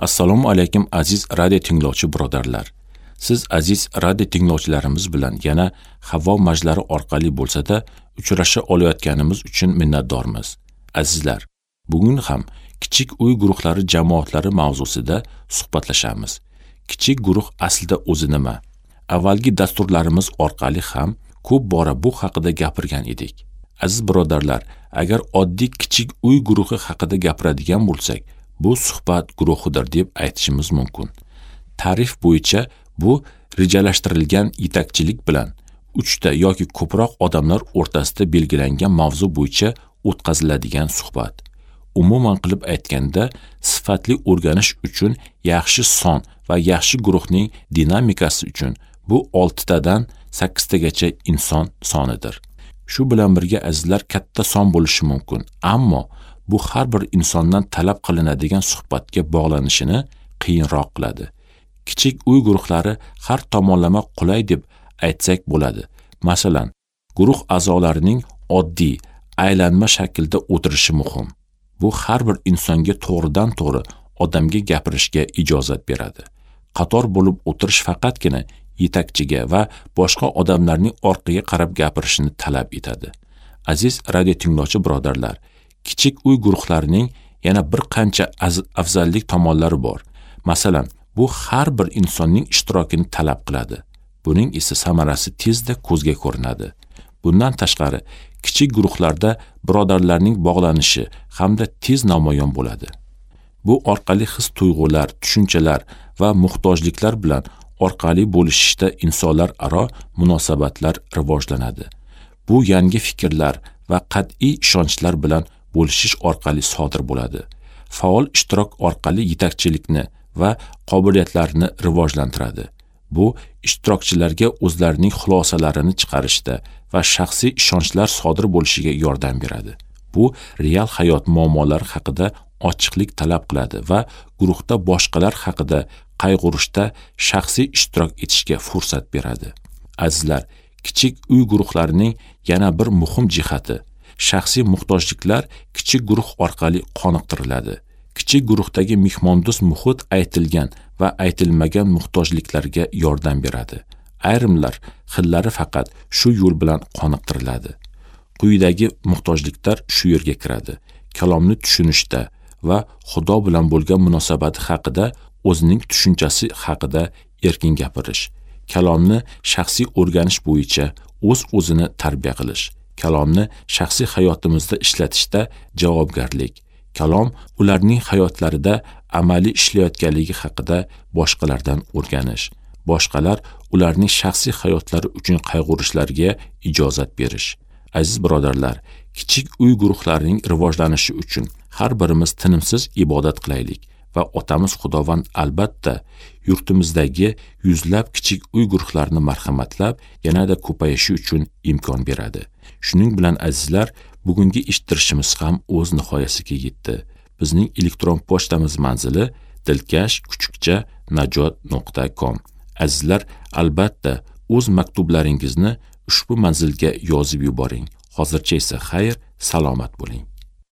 Assalomu alaykum aziz radio tinglovchi birodarlar. Siz aziz radio tinglovchilarimiz bilan yana havo majlari orqali bo'lsa-da uchrasha olayotganimiz uchun minnatdormiz. Azizlar, bugun ham kichik uy guruhlari jamoatlari mavzusida suhbatlashamiz. Kichik guruh aslida o'zi nima? Avvalgi dasturlarimiz orqali ham ko'p bora bu haqida gapirgan edik. Aziz birodarlar, agar oddiy kichik uy guruhi haqida gapiradigan bo'lsak, bu suhbat guruhidir deb aytishimiz mumkin. Ta'rif bo'yicha bu rejalashtirilgan yetakchilik bilan 3 ta yoki ko'proq odamlar o'rtasida belgilangan mavzu bo'yicha o'tkaziladigan suhbat. Umuman qilib aytganda, sifatli o'rganish uchun yaxshi son va yaxshi guruhning dinamikasi uchun bu 6 tadan 8 tagacha inson sonidir. Shu bilan birga azizlar, katta son bo'lishi mumkin, ammo bu har bir insondan talab qilinadigan suhbatga bog'lanishini qiyinroq qiladi. Kichik uy guruhlari har tomonlama qulay deb aytsak bo'ladi. Masalan, guruh a'zolarining oddiy aylanma shaklda o'tirishi muhim. Bu har bir insonga to'g'ridan-to'g'ri odamga gapirishga ijozat beradi. Qator bo'lib o'tirish faqatgina yetakchiga va boshqa odamlarning orqaga qarab gapirishini talab etadi. Aziz radio tinglovchi birodarlar, kichik uy guruhlarining yana bir qancha afzallik tomonlari bor. Masalan, bu har bir insonning ishtirokini talab qiladi. Buning esa samarasi tezda ko'zga ko'rinadi. Bundan tashqari, kichik guruhlarda birodarlarning bog'lanishi hamda tez namoyon bo'ladi. Bu orqali his-tuyg'ular, tushunchalar va muhtojliklar bilan orqali bo'lishishda insonlar aro munosabatlar rivojlanadi. Bu yangi fikrlar va qat'iy ishonchlar bilan bo'lishish orqali sodir bo'ladi. Faol ishtirok orqali yetakchilikni va qobiliyatlarni rivojlantiradi. Bu ishtirokchilarga o'zlarining xulosalarini chiqarishda va shaxsiy ishonchlar sodir bo'lishiga yordam beradi. Bu real hayot muammolari haqida ochiqlik talab qiladi va guruhda boshqalar haqida qayg'urishda shaxsiy ishtirok etishga fursat beradi. Azizlar, kichik uy guruhlarining yana bir muhim jihati shaxsiy muhtojliklar kichik guruh orqali qoniqtiriladi. Kichik guruhdagi mehmondo'st muhit aytilgan va aytilmagan muhtojliklarga yordam beradi. Ayrimlar xillari faqat shu yo'l bilan qoniqtiriladi. Quyidagi muhtojliklar shu yerga kiradi. Kalomni tushunishda va Xudo bilan bo'lgan munosabati haqida o'zining tushunchasi haqida erkin gapirish, kalomni shaxsiy o'rganish bo'yicha o'z-o'zini tarbiya qilish, kalomni shaxsiy hayotimizda ishlatishda javobgarlik, kalom ularning hayotlarida amaliy ishlayotganligi haqida boshqalardan o'rganish, boshqalar ularning shaxsiy hayotlari uchun qayg'urishlariga ijozat berish. Aziz birodarlar, kichik uy guruhlarining rivojlanishi uchun har birimiz tinimsiz ibodat qilaylik va otamiz Xudovand albatta yurtimizdagi yuzlab kichik uy guruhlarini marhamatlab yanada ko'payishi uchun imkon beradi. Shuning bilan azizlar, bugungi eshittirishimiz ham o'z nihoyasiga yetdi. Bizning elektron pochtamiz manzili dilkash@najot.com. Azizlar, albatta o'z maktublaringizni ushbu manzilga yozib yuboring. Hozircha esa xayr, salomat bo'ling.